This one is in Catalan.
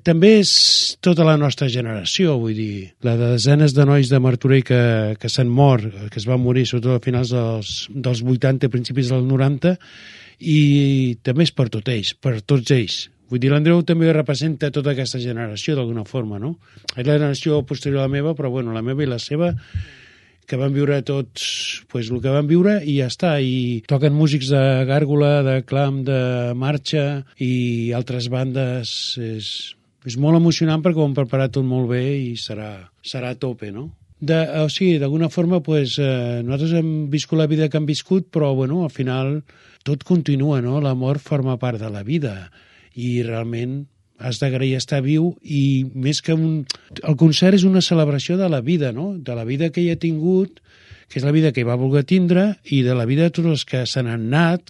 també és tota la nostra generació, vull dir, la de desenes de nois de Martorell que s'han mort, que es van morir sobretot a finals dels 80, principis dels 90, i també és per tots ells. Vull dir, l'Andreu també representa tota aquesta generació d'alguna forma, no? És la generació posterior a la meva, però bueno, la meva i la seva, que van viure tots pues, el que van viure i ja està. I toquen músics de gàrgola, de clam, de marxa i altres bandes. És molt emocionant perquè ho han preparat tot molt bé i serà a tope, no? O sigui, d'alguna forma, pues, nosaltres hem viscut la vida que hem viscut, però bueno, al final tot continua, no? La mort forma part de la vida i realment has d'agrair estar viu i més que el concert és una celebració de la vida, no? De la vida que hi ha tingut, que és la vida que hi va voler tindre, i de la vida de tots els que se n'han anat,